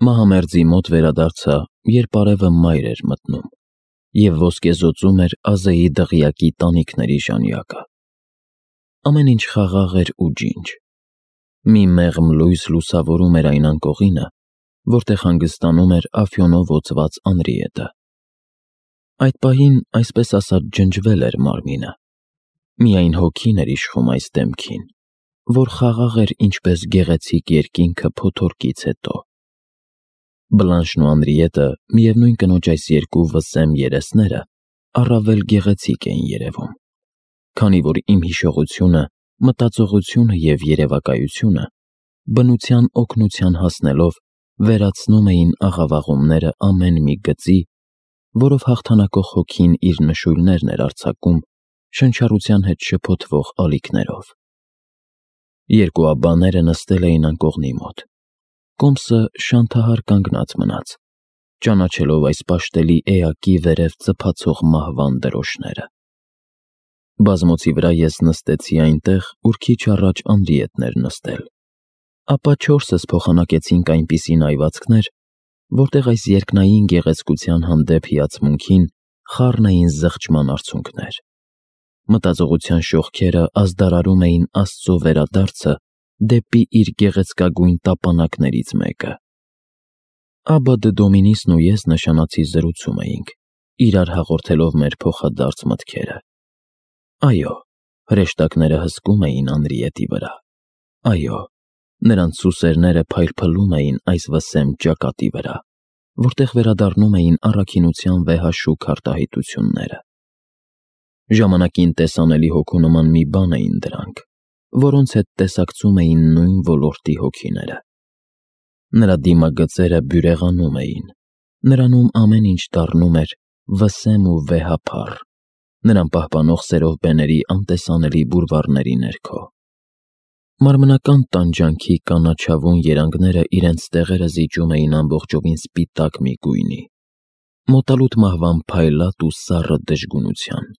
Մահամերձի մոտ վերադարձա, երբ արևը մայր էր մտնում, և ոսկեզօծում էր Ազեի դղյակի տանիքների ժանյակը։ Ամեն ինչ խաղաղ էր ու ջինջ։ Մի մեղմ լույս լուսավորում էր այն անկողինը, որտեղ հանգստանում էր աֆյոնով օծված Անրիետը։ Այդ պահին, այսպես ասած, ջնջվել էր մարմինը։ Միայն հոգին էր իշխում այս դեմքին, որ խաղաղ էր ինչպես գեղեցիկ երկինքը փոթորկից հետո։ Բլանշն ու Անրիետը, միևնույն կնոջ այս երկու վսեմ երեսները, առավել գեղեցիկ էին երևում, քանի որ իմ հիշողությունը, մտածողությունը և երևակայությունը բնության օգնության հասնելով վերացնում էին աղավաղումները ամեն մի գծի, որով հաղթանակող հոգին իր նշույլներն էր արձակում շնչառության հետ շփոթվող ալիքներով։ Երկու աբբաները նստել էին անկողնի մոտ։ Կոմսը շանթահար կանգնած մնաց, ճանաչելով այս պաշտելի էակի վերև ծփացող մահվան դրոշները։ Բազմոցի վրա ես նստեցի այնտեղ, ուր քիչ առաջ Անրիետն էր նստել, ապա չորսս փոխանակեցինք այնպիսի նայվածքներ, որտեղ այս երկնային գեղեցկության հանդեպ հիացմունքին խառն էին զղջման արցունքներ։ Մտածողության շողքերը ազդարարում էին Աստծո վերադարձը դեպի իր գեղեցկագույն տապանակներից մեկը։ Աբբա դը Դոմինիսն ու ես նշանացի զրուցում էինք, իրար հաղորդելով մեր փոխադարձ մտքերը։ Այո, հրեշտակները հսկում էին Անրիետի վրա։ Այո, նրանց սուսերները փայլփլում էին այս վսեմ ճակատի վրա, որտեղ վերադառնում էին առաքինության վեհաշուք արտահայտությունները։ Ժամանակին տեսանելի հոգու նման մի բան էին դրանք, որոնց հետ տեսակցում էին նույն ոլորտի հոգիները։ Նրա դիմագծերը բյուրեղանում էին, նրանում ամեն ինչ դառնում էր վսեմ ու վեհափառ, նրան պահպանող սերով բեների անտեսանելի բուրվառների ներքո։ Մարմնական տանջանքի կանաչավուն երանգները իրենց տեղերը զիջում էին ամբողջովին սպիտակ մի գույնի, մոտալուտ մահվան փայլատ ու սառը դժգունության։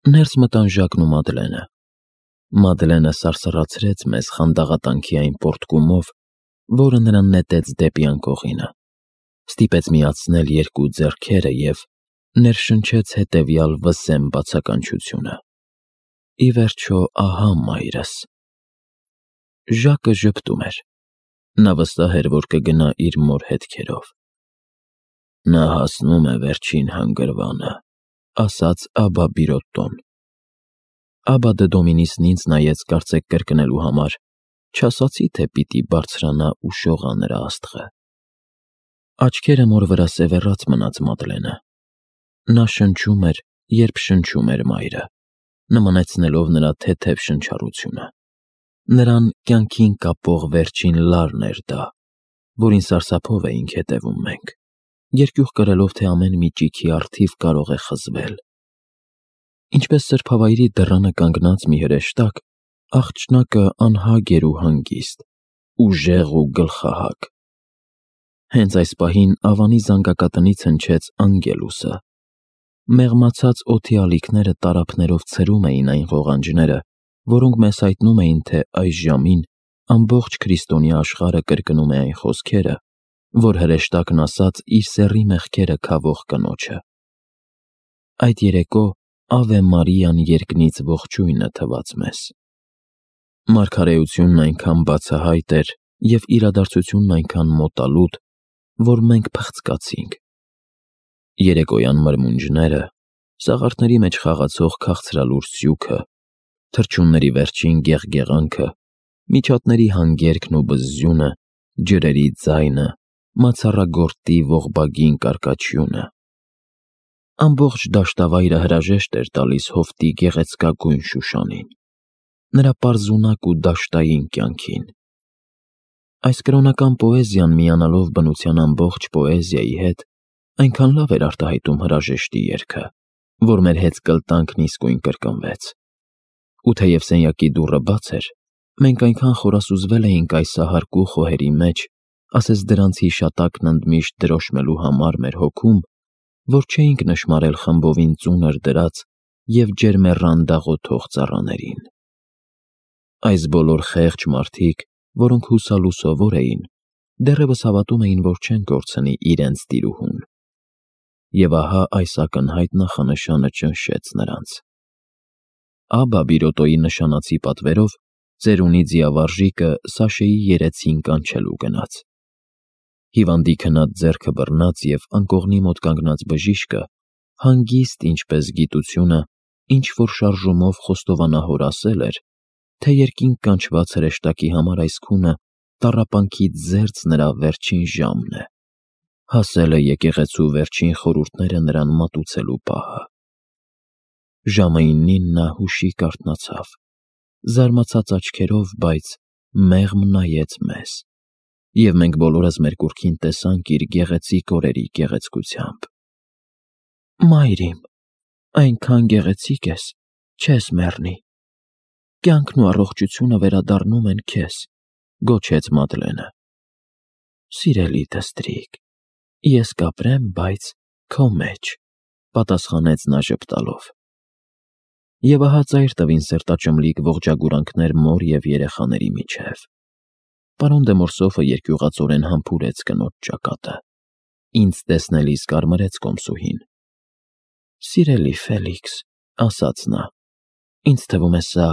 Ներս մտան Ժակն ու Մադլենը։ Մադլենը սարսռացրեց մեզ խանդաղատանքի այն պոռթկումով, որը նրան նետեց դեպի անկողինը, ստիպեց միացնել երկու ձեռքերը և ներշնչեց հետևյալ վսեմ բացականչությունը. «Ի վերջո, ահա մայրս»։ Ժակը ժպտում էր։ Նա վստահ էր, որ կգնա իր մոր հետքերով։ «Նա հասնում է վերջին հանգրվանը», ասաց Աբբա Բիրոտտոն։ Աբբա դը Դոմինիսն ինձ նայեց կարծեք կրկնելու համար, չասացի, թե պիտի բարձրանա ու շողա նրա աստղը։ Աչքերը մոր վրա սևեռած մնաց Մադլենը։ Նա շնչում էր, երբ շնչում էր մայրը, նմանեցնելով նրա թեթև շնչառությունը։ Նրան կյանքին կապող վերջին լարն էր դա, որին սարսափով էինք հետևում մենք, երկյուղ կրելով, թե ամեն մի ճիգի առթիվ կարող է խզվել։ Ինչպես սրբավայրի դռանը կանգնած մի հրեշտակ, աղջնակը անհագ էր ու հանգիստ, ուժեղ ու գլխահակ։ Հենց այս պահին ավանի զանգակատնից հնչեց Անգելուսը։ Մեղմացած օդի ալիքները տարափներով ցրում էին այն ղողանջները, որոնք մեզ հայտնում էին, թե այս ժամին ամբողջ քրիստոնյա աշխարհը կրկնում է այն խոսքերը, որ հրեշտակն ասաց իր սեռի մեղքերը քավող կնոջը։ Այդ երեկո Ավե Մարիան երկնից ողջույնը թվաց մեզ։ Մարգարեությունն այնքան բացահայտ էր և իրադարձությունն այնքան մոտալուտ, որ մենք փղծկացինք։ Երեկոյան մրմունջները, սաղարթների մեջ խաղացող քաղցրալուր սյուքը, թռչունների վերջին գեղգեղանքը, միջատների հանգերքն ու բզզյունը, ջրերի ձայնը, մացառագորտի ողբագին կարկաչյունը։ Ամբողջ դաշտավայրը հրաժեշտ էր տալիս հովտի գեղեցկագույն Շուշանին, նրա պարզունակ ու դաշտային կյանքին։ Այս կրոնական պոեզիան միանալով բնության ամբողջ պոեզիայի հետ, այնքան լավ էր արտահայտում հրաժեշտի երգը, որ մեր հեծկլտանքն իսկույն կրկնվեց։ Ու թեև սենյակի դուռը բաց էր, մենք այնքան խորասուզվել էինք այս ահարկու խոհերի մեջ, ասես դրանց հիշատակն ընդմիշտ դրոշմելու համար մեր հոգում, որ չէինք նշմարել խմբովին ծունր դրած և ջերմեռան դաղոթող ծառաներին։ Այս բոլոր խեղճ մարդիկ, որոնք հուսալու սովոր էին, դեռևս հավատում էին, որ չեն կորցնի իրենց տիրուհուն։ Եվ ահա այս ակնհայտ նախանշանը ճնշեց նրանց։ Աբա Բիրոտոյի նշանացի պատվերով ծերունի ձիավարժիկը Սաշեի երեցին կանչելու գնաց։ Հիվանդի քնած ձեռքը բռնած և անկողնի մոտ կանգնած բժիշկը հանգիստ, ինչպես գիտությունը, ինչ-որ շարժումով խոստովանահոր ասել էր, թե երկինք կանչված հրեշտակի համար այս քունը տառապանքից զերծ նրա վերջին ժամն է։ Հասել է եկեղեցու վերջին խորհուրդները նրան մատուցելու պահը։ Ժամը 9-ին նա հուշիկ արթնացավ, զարմացած աչքերով, բայց մեղմ նայեց մեզ, և մենք բոլորս մեր կուռքին տեսանք իր գեղեցիկ օրերի գեղեցկությամբ։ Մայր իմ, այնքան գեղեցիկ ես, չես մեռնի։ Կյանքն ու առողջությունը վերադառնում են քեզ, գոչեց Մադլենը։ Սիրելի դստրիկ, ես կապրեմ, բայց քո մեջ, պատասխանեց նա ժպտալով։ Եվ ահա ծայր տվին սերտաճմլիկ ողջագուրանքներ մոր և երեխաների միջև։ Պարոն դե Մորսոֆը երկյուղածորեն համբուրեց կնոջ ճակատը։ Ինձ տեսնելիս կարմրեց կոմսուհին։ Սիրելի Ֆելիքս, ասաց նա, ինձ թվում է սա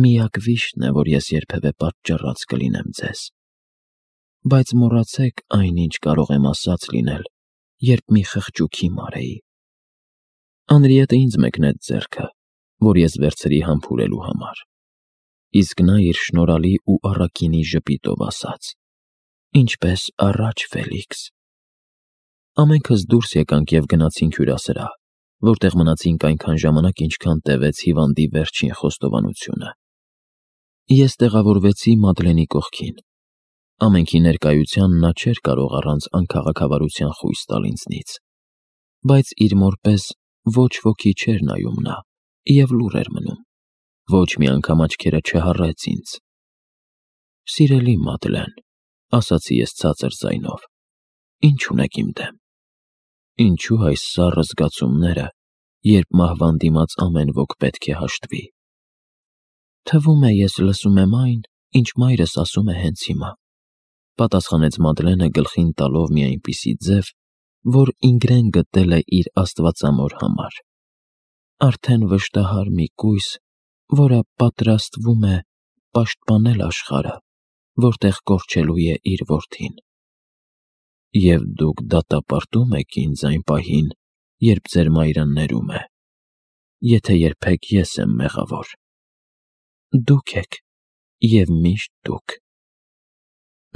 միակ վիշտն է, որ ես երբևէ պատճառած կլինեմ ձեզ։ Բայց մոռացեք այն, ինչ կարող եմ ասած լինել, երբ մի խղճուկի մարեի։ Անրիետը ինձ մեկնեց ձեռքը, որ ես վերցրի համբուրելու համար։ Իսկ նա իր շնորհալի ու առաքինի ժպիտով ասաց. Ինչպես առաջ, Ֆելիքս։ Ամենքս դուրս եկանք և գնացինք հյուրասրահ, որտեղ մնացինք այնքան ժամանակ, ինչքան տևեց հիվանդի վերջին խոստովանությունը։ Ես տեղավորվեցի Մադլենի կողքին։ Ամենքի ներկայության նա չէր կարող առանց անքաղաքավարության խույս տալ ինձնից, բայց իր մոր պես ոչ ոքի չէր նայում նա և լուռ էր մնում, ոչ մի անգամ աչքերը չհառեց ինձ։ Սիրելի Մադլեն, ասացի ես ցածր ձայնով, ինչ ունեք իմ դեմ։ Ինչու այս սառը զգացումները, երբ մահվան դիմաց ամեն ոք պետք է հաշտվի։ Թվում է, ես լսում եմ այն, ինչ մայրս ասում է հենց հիմա, պատասխանեց Մադլենը գլխին տալով մի այնպիսի ձև, որ ինգրեն գտել է իր աստվածամոր համար։ Արդեն վշտահար մի կույս, որը պատրաստվում է պաշտպանել աշխարհը, որտեղ կորչելու է իր որդին։ Եվ դուք դատապարտում եք ինձ այն պահին, երբ ձեր մայրը ներում է, եթե երբեք ես եմ մեղավոր։ Դուք եք, և միշտ դուք։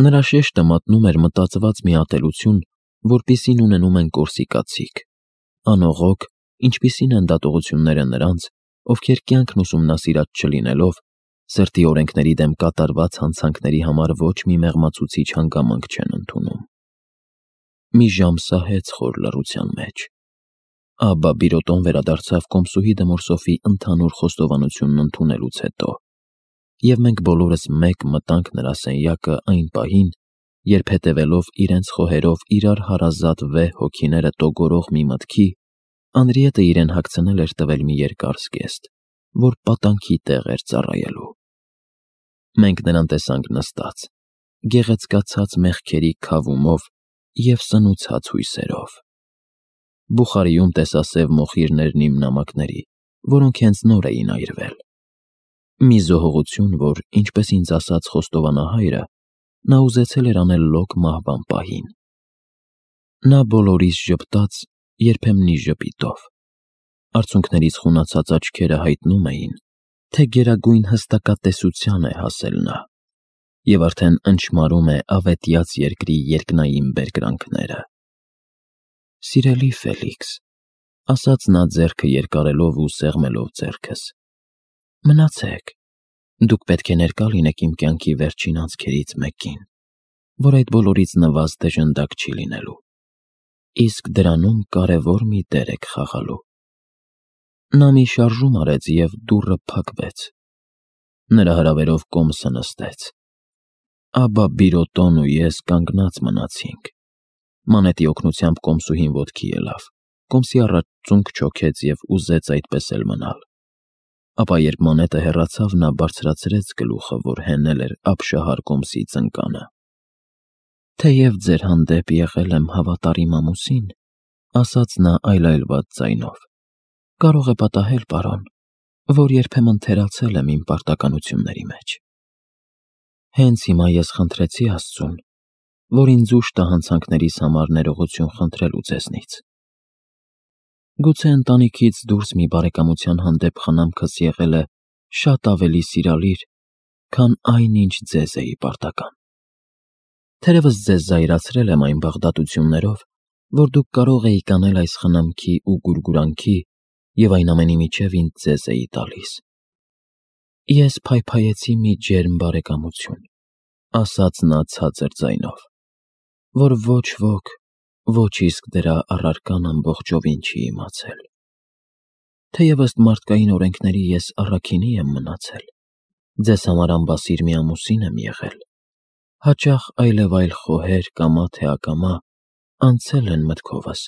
Նրա շեշտը մատնում էր մտածված մի ատելություն, որպիսին ունենում են կորսիկացիք, անողոք, ինչպիսին են դատողությունները նրանց, ովքեր կյանքն ուսումնասիրած չլինելով, սրտի օրենքների դեմ կատարված հանցանքների համար ոչ մի մեղմացուցիչ հանգամանք չեն ընդունում։ Մի ժամ սահեց խոր լռության մեջ։ Աբա Բիրոտոն վերադարձավ կոմսուհի դե Մորսոֆի ընդհանուր խոստովանությունն ընդունելուց հետո, և մենք բոլորս մեկ մտանք նրա սենյակը այն պահին, երբ հետևելով իրենց խոհերով իրար հարազատ վեհ հոգիները տոգորող մի մտքի, Անրիետը իրեն հագցնել էր տվել մի երկար զգեստ, որ պատանքի տեղ էր ծառայելու։ Մենք նրան տեսանք նստած, գեղեցկացած մեղքերի քավումով և սնուցած հույսերով։ Բուխարիում տեսասև մոխիրներն իմ նամակների, որոնք հենց նոր էին այրվել։ Մի զոհողություն, որ, ինչպես ինձ ասաց խոստովանահայրը, նա ուզեցել էր անել լոկ մահվան պահին։ Նա բոլորիս ժպտաց, երբեմնի ժպիտով։ Արցունքներից խունացած աչքերը հայտնում էին, թե գերագույն հստակատեսության է հասել նա, և արդեն ընչմարում է ավետյաց երկրի երկնային բերկրանքները։ Սիրելի Ֆելիքս, ասաց նա ձեռքը երկարելով ու սեղմելով ձեռքս, մնացեք, դուք պետք է ներկա լինեք իմ կյանքի վերջին անցքերից մեկին, որ այդ բոլորից նվազ դժնդակ չի լինելու, իսկ դրանում կարևոր մի դեր եք խաղալու։ Նա մի շարժում արեց և դուռը փակվեց։ Նրա հրավերով կոմսը նստեց։ Աբա Բիրոտոն ու ես կանգնած մնացինք։ Մանետի օգնությամբ կոմսուհին ոտքի ելավ, կոմսի առաջ ծունկ չոքեց և ուզեց այդպես էլ մնալ։ Ապա երբ մանետը հեռացավ, նա բարձրացրեց գլուխը, որ հենել էր ապշահար կոմսի ծնկանը։ Թեև ձեր հանդեպ եղել եմ հավատարիմ ամուսին, ասաց նա այլայլված ձայնով, կարող է պատահել, պարոն, որ երբեմն թերացել եմ իմ պարտականությունների մեջ։ Հենց հիմա ես խնդրեցի Աստծուն, որ ինձ ուժ տա հանցանքներիս համար ներողություն խնդրելու ձեզնից։ Գուցե ընտանիքից դուրս մի բարեկամության հանդեպ խնամքս եղել է շատ ավելի սիրալիր, քան այն, ինչ ձեզ էի պարտական։ Թերևս ձեզ զայրացրել եմ այն բաղդատություններով, որ դուք կարող էիք անել այս խնամքի ու գուրգուրանքի և այն ամենի միջև ինձ ձեզ էի տալիս։ Ես փայփայեցի մի ջերմ բարեկամություն, ասաց նա ցածր ձայնով, որ ոչ ոք, ոչ իսկ դրա առարկան ամբողջովին չի իմացել։ Թեև ըստ մարդկային օրենքների ես առաքինի եմ մնացել, ձեզ համար ամբասիր մի ամուսին եմ եղել, հաճախ այլևայլ խոհեր կամա թե ակամա անցել են մտքովս,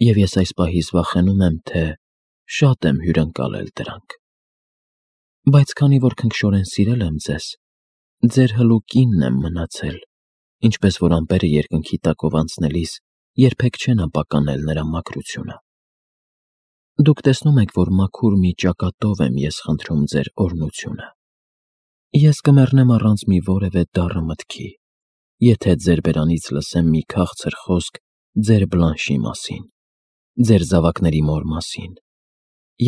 և ես այս պահից վախենում եմ, թե շատ եմ հյուրընկալել դրանք։ Բայց քանի որ քնքշորեն սիրել եմ ձեզ, ձեր հլու կինն եմ մնացել, ինչպես որ ամպերը երկնքի տակով անցնելիս երբեք չեն ապականել նրա մաքրությունը։ Դուք տեսնում եք, որ մաքուր մի ճակատով եմ ես խնդրում ձեր օրհնությունը։ Ես կմեռնեմ առանց մի որևէ դառը մտքի, եթե ձեր բերանից լսեմ մի քաղցր խոսք ձեր Բլանշի մասին, ձեր զավակների մոր մասին,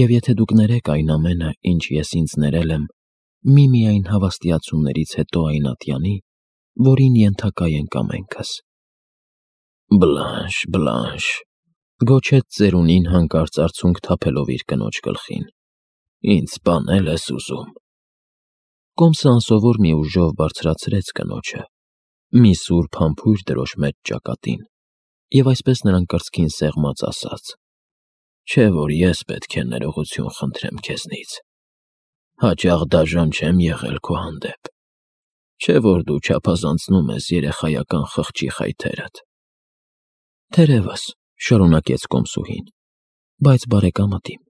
և եթե դուք ներեք այն ամենը, ինչ ես ինձ ներել եմ, միմիայն հավաստիացումներից հետո այն ատյանի, որին ենթակա ենք ամենքս։ Բլանշ, Բլանշ, գոչեց ծերունին հանկարծ արցունք թափելով իր կնոջ գլխին, ինձ սպանել ես ուզում։ Կոմսը անսովոր մի ուժով բարձրացրեց կնոջը, մի սուրբ համբույր դրոշ մեջ ճակատին, և այսպես նրան կրծքին սեղմած ասաց. Չէ՞ որ ես պետք է ներողություն խնդրեմ քեզնից, հաճախ դաժան չեմ եղել քո հանդեպ, չէ՞ որ դու չափազանցնում ես երեխայական խղճի խայթերդ։ Թերևս, շարունակեց կոմսուհին, բայց բարեկամդ իմ,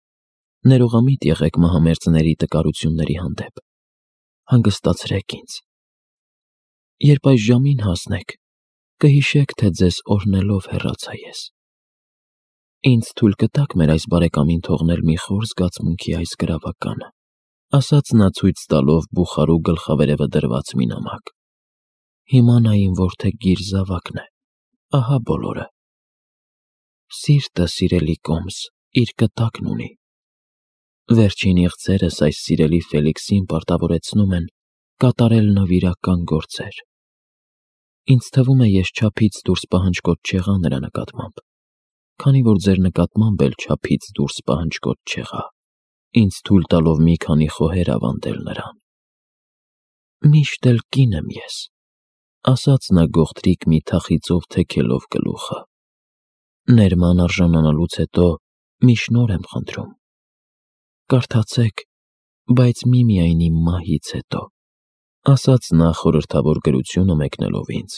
ներողամիտ եղեք մահամերձների տկարությունների հանդեպ, հանգստացրեք ինձ։ Երբ այս ժամին հասնեք, կհիշեք, թե ձեզ օրհնելով հեռացա ես։ Ինձ թույլ կտաք մեր այս բարեկամին թողնել մի խոր զգացմունքի այս գրավականը, ասաց նա ցույց տալով բուխարու գլխավերևը դրված մի նամակ։ Հիմա նա իմ որդեգիր զավակն է, ահա բոլորը։ Սիրտը, սիրելի Կոմս, իր կտակն ունի։ Վերջին իղձերս այս սիրելի Ֆելիքսին պարտավորեցնում են կատարել նվիրական գործեր։ Ինձ թվում է, ես չափից դուրս պահանջկոտ չեղա նրա նկատմամբ, քանի որ ձեր նկատմամբ էլ չափից դուրս պահանջկոտ չեղա, ինձ թույլ տալով մի քանի խոհեր ավանդել նրան։ Միշտ էլ կին եմ ես, ասաց նա գողտրիկ մի թախիծով թեքելով գլուխը։ Ներման արժանանալուց հետո մի շնորհ եմ խնդրում։ Կարդացեք, բայց միմիայն իմ մահից հետո, ասաց նա խորհրդավոր գրությունը մեկնելով ինձ։